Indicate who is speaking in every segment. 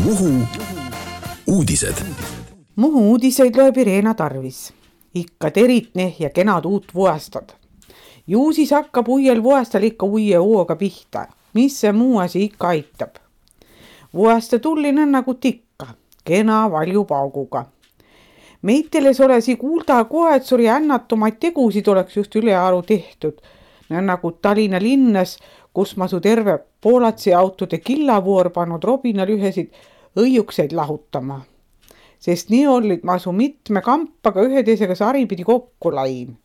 Speaker 1: Muhu uudised.
Speaker 2: Muhu uudiseid loeb Irena Tarvis. Ikka teritne ja kenad uut vuastad. Ju siis hakkab uuel vuastal ikka uue hooga pihta. Mis see muu asi ikka aitab? Vuaste tullin on nagu tikka, kena valju pauguga. Meiteles olesi kuulda koetsuri ännatumaid tegusid oleks just ülearu tehtud. Nagu Tallinna linnas, kus masu terve Poolatsi autode killavoor pannud Robinal ühesid õiukseid lahutama. Sest nii olid masu mitme kampaga ühe teisega saripidi kokku lain.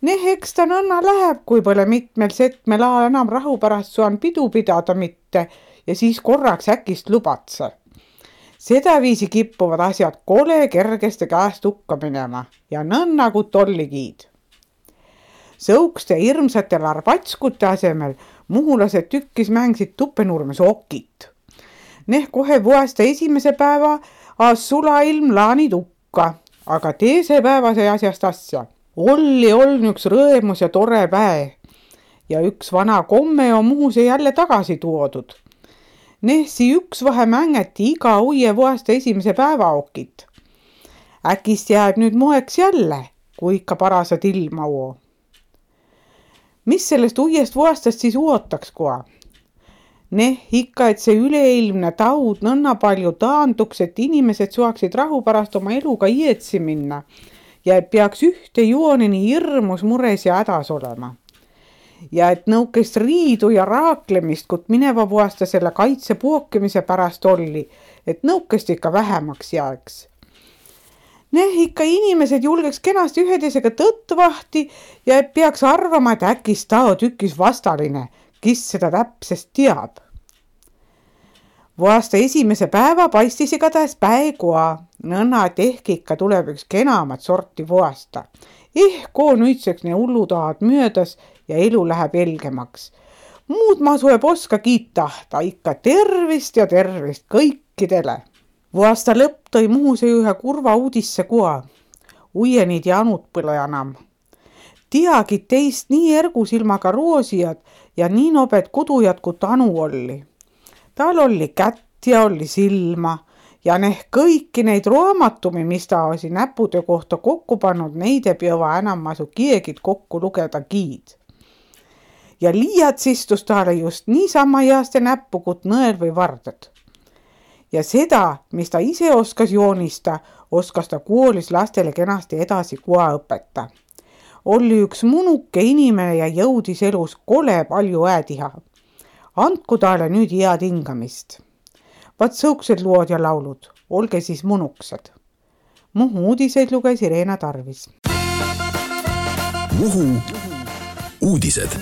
Speaker 2: Eks ta nõnna läheb, kui pole mitmel setmel ajal enam rahu pärast suan pidu pidada mitte ja siis korraks äkist lubatse. Seda viisi kippuvad asjad kole kergeste käest hukka minema ja nõnna kui tolligiid. Sõukste hirmsate larbatskute asemel muhulased tükkis mängsid Tuppenurmes okit. Kohe vuaste esimese päeva sulailm laani tukka, aga teise päeva sai asjast asja. Olli üks rõemus ja tore päev ja üks vana komme on Muhuse jälle tagasi tuodud. Si üks vahe mängeti iga uue vuaste esimese päeva okit. Äkist jääb nüüd moeks jälle, kui ikka parasad ilma uo. Mis sellest uuest vuastast siis uotaks koa? Ikka, et see üleilmne taud nõnna palju taanduks, et inimesed suaksid rahu pärast oma eluga ietsi minna ja et peaks ühte joonini hirmus mures ja hädas olema. Ja et nõukest riidu ja raaklemist, kut mineva vuasta selle kaitse puokimise pärast oli, et nõukest ikka vähemaks jääks. Ikka inimesed julgeks kenasti üheteisega tõttvahti ja et peaks arvama, et äkis tao tükis vastaline, kes seda täpsest teab. Vuasta esimese päeva paistis igatahes päekoa, nõnna, et ehk ikka tuleb üks kenamat sorti vuasta. Ehko nüüdseks ne hullutahad möödas ja elu läheb helgemaks. Muud ma sueb oska kiittahta, ikka tervist ja tervist kõikidele. Vuasta lõpp tõi Muhuse ühe kurva uudisse koa. Uienid ja anud põle enam. Tiagid teist nii ergusilmaga roosijad ja nii nobed kudujad, kui Anu oli. Tal oli kätt ja oli silma ja kõiki neid raamatumi, mis ta oli näpude kohta kokku pannud, neid ei pea enam masu kiegid kokku lugeda giid. Ja liiats istus taale just niisama heaste näppu, kui nõel või vardad. Ja seda, mis ta ise oskas joonista, oskas ta koolis lastele kenasti edasi koa õpeta. Oli üks munuke inimene ja jõudis elus kole palju äädiha. Andku taale nüüd head hingamist. Vaat sõuksed lood ja laulud, olge siis munuksed. Muhu uudiseid luges Irena Tarvis.
Speaker 1: Muhu uudised.